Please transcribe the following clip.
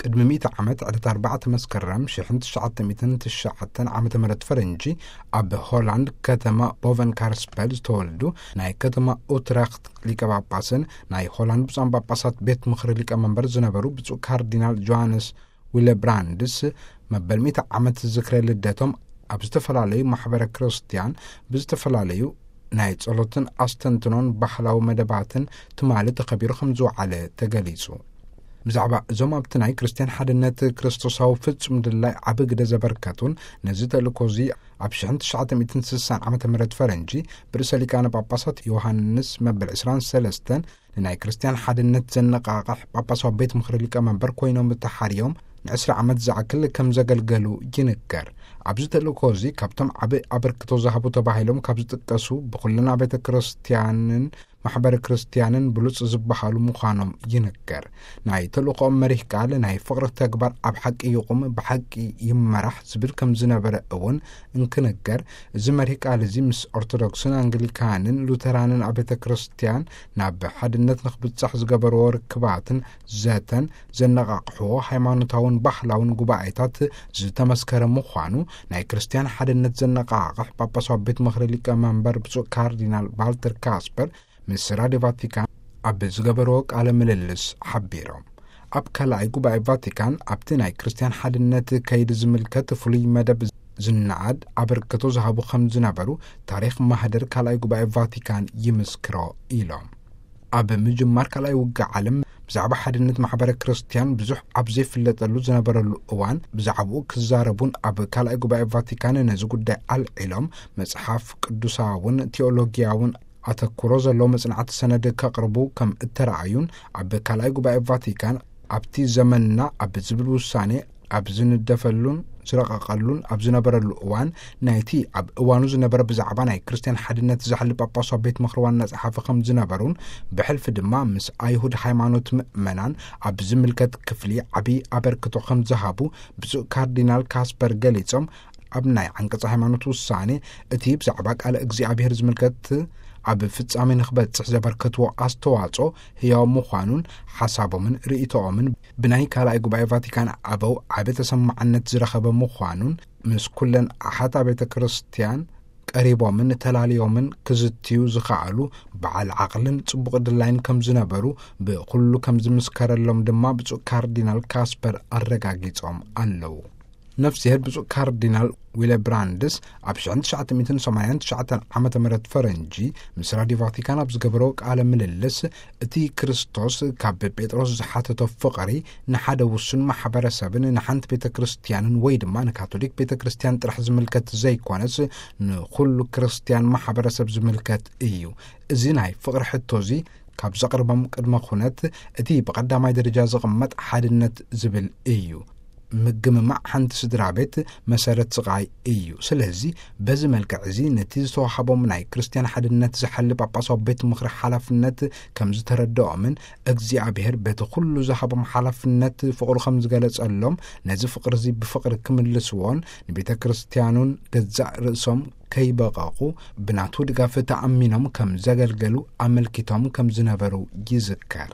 ቅድሚ ሚእቲ ዓመት ዕለት ኣርባዕተ መስከረም ሽሕን ትሽዓተ ሚእትን ትሽዓተን ዓመተ ምህረት ፈረንጂ፣ ኣብ ሆላንድ ከተማ ቦቨን ካርስፐል ዝተወልዱ ናይ ከተማ ኡትረኽት ሊቀ ጳጳስን ናይ ሆላንድ ብፁዓን ጳጳሳት ቤት ምኽሪ ሊቀ መንበር ዝነበሩ ብፁዕ ካርዲናል ጆሃንስ ዊለብራንድስ፣ መበል ሚእቲ ዓመት ዝክረ ልደቶም ኣብ ዝተፈላለዩ ማሕበረ ክርስትያን ብዝተፈላለዩ ናይ ጸሎትን ኣስተንትኖን ባህላዊ መደባትን ትማሊ ተኸቢሩ ከም ዝወዓለ ተገሊጹ። ብዛዕባ እዞም ኣብቲ ናይ ክርስትያን ሓድነት ክርስቶሳዊ ፍጹም ድላይ ዓቢ ግደ ዘበርከቱን ነዚ ተልእኮ እዚ ኣብ ሽሕን ትሽዓተ ሚእትን ስሳን ዓመተ ምህረት ፈረንጂ ብርእሰ ሊቃነ ጳጳሳት ዮሃንስ መበል ዕስራን ሰለስተን ንናይ ክርስትያን ሓድነት ዘነቓቕሕ ጳጳሳዊ ቤት ምኽሪ ሊቀ መንበር ኮይኖም ተሓርዮም ንዕስራ ዓመት ዝኣክል ከም ዘገልገሉ ይንገር። ኣብዚ ተልእኮ እዚ ካብቶም ዓቢ ኣበርክቶ ዝሃቡ ተባሂሎም ካብ ዝጥቀሱ ብኹለን ቤተ ክርስትያንን ማሕበረ ክርስትያንን ብሉጽ ዝበሃሉ ምዃኖም ይንገር። ናይ ተልእኮኦም መሪህ ቃል ናይ ፍቕሪ ተግባር ኣብ ሓቂ ይቑም፣ ብሓቂ ይመራሕ ዝብል ከም ዝነበረ እውን እንክንገር፣ እዚ መሪህ ቃል እዚ ምስ ኦርቶዶክስን ኣንግሊካንን ሉተራንን ኣብያተ ክርስትያን ናብ ሓድነት ንኽብጻሕ ዝገበርዎ ርክባትን ዘተን ዘነቓቕሕዎ ሃይማኖታውን ባህላውን ጉባኤታት ዝተመስከረ ምዃኑ ናይ ክርስትያን ሓድነት ዘነቓቕሕ ጳጳሳዊ ቤት ምኽሪ ሊቀ መንበር ብፁዕ ካርዲናል ቫልተር ካስፐር ምስ ራድዮ ቫቲካን ኣብ ዝገበርዎ ቃለ ምልልስ ሓቢሮም። ኣብ ካልኣይ ጉባኤ ቫቲካን ኣብቲ ናይ ክርስትያን ሓድነት ከይዲ ዝምልከት ፍሉይ መደብ ዝነኣድ ኣበርክቶ ዝሃቡ ከም ዝነበሩ ታሪኽ ማህደር ካልኣይ ጉባኤ ቫቲካን ይምስክሮ ኢሎም። ኣብ ምጅማር ካልኣይ ውግእ ዓለም ብዛዕባ ሓድነት ማሕበረ ክርስትያን ብዙሕ ኣብ ዘይፍለጠሉ ዝነበረሉ እዋን ብዛዕባኡ ክዛረቡን ኣብ ካልኣይ ጉባኤ ቫቲካን ነዚ ጉዳይ ኣልዒሎም መጽሓፍ ቅዱሳውን ቴዎሎጊያውን ኣተኩሮ ዘለዎ መጽናዕቲ ሰነድ ከቕርቡ ከም እተረኣዩን ኣብ ካልኣይ ጉባኤ ቫቲካን ኣብቲ ዘመንና ኣብ ዝብል ውሳኔ ኣብ ዝንደፈሉን ዝረቐቐሉን ኣብ ዝነበረሉ እዋን ናይቲ ኣብ እዋኑ ዝነበረ ብዛዕባ ናይ ክርስትያን ሓድነት ዝሓሊ ጳጳሳዊ ቤት ምኽሪ ዋና ጸሓፊ ከም ዝነበሩን ብሕልፊ ድማ ምስ ኣይሁድ ሃይማኖት ምእመናን ኣብ ዝምልከት ክፍሊ ዓቢ ኣበርክቶ ከም ዝሃቡ ብፁዕ ካርዲናል ካስፐር ገሊጾም፣ ኣብ ናይ ዓንቀጽ ሃይማኖት ውሳኔ እቲ ብዛዕባ ቃል እግዚኣብሔር ዝምልከት ኣብ ፍጻሜ ንኽበጽሕ ዘበርከትዎ ኣስተዋጽኦ ህያው ምዃኑን ሓሳቦምን ርእይቶኦምን ብናይ ካልኣይ ጉባኤ ቫቲካን ኣበው ዓቢ ተሰማዕነት ዝረኸበ ምዃኑን ምስ ኩለን ኣሓት ኣብያተ ክርስትያን ቀሪቦምን ተላልዮምን ክዝትዩ ዝኸኣሉ በዓል ዓቕልን ጽቡቕ ድላይን ከም ዝነበሩ ብኹሉ ከም ዝምስከረሎም ድማ ብፁዕ ካርዲናል ካስፐር ኣረጋጊጾም ኣለዉ። ነፍስሄር ብፁዕ ካርዲናል ዊለብራንድስ ኣብ ሽሕን ትሽዓተ ሚእትን ሰማንያን ትሽዓተን ዓመተ ምህረት ፈረንጂ ምስ ራድዮ ቫቲካን ኣብ ዝገበሮ ቃለ ምልልስ፣ እቲ ክርስቶስ ካብ ጴጥሮስ ዝሓተቶ ፍቕሪ ንሓደ ውሱን ማሕበረሰብን ንሓንቲ ቤተ ክርስትያንን ወይ ድማ ንካቶሊክ ቤተ ክርስትያን ጥራሕ ዝምልከት ዘይኮነስ ንኹሉ ክርስትያን ማሕበረሰብ ዝምልከት እዩ። እዚ ናይ ፍቕሪ ሕቶ እዚ ካብ ዘቕርቦም ቅድመ ኩነት እቲ ብቐዳማይ ደረጃ ዝቕመጥ ሓድነት ዝብል እዩ። ምግምማዕ ሓንቲ ስድራ ቤት መሰረት ስቓይ እዩ። ስለዚ በዚ መልክዕ እዚ ነቲ ዝተዋሃቦም ናይ ክርስትያን ሓድነት ዝሓሊ ጳጳሳዊ ቤት ምኽሪ ሓላፍነት ከም ዝተረድኦምን እግዚኣብሔር በቲ ኩሉ ዝሃቦም ሓላፍነት ፍቕሩ ከም ዝገለጸሎም ነዚ ፍቕሪ እዚ ብፍቕሪ ክምልስዎን ንቤተ ክርስትያኑን ገዛእ ርእሶም ከይበቐቑ ብናቱ ድጋፍ ተኣሚኖም ከም ዘገልገሉ ኣመልኪቶም ከም ዝነበሩ ይዝከር።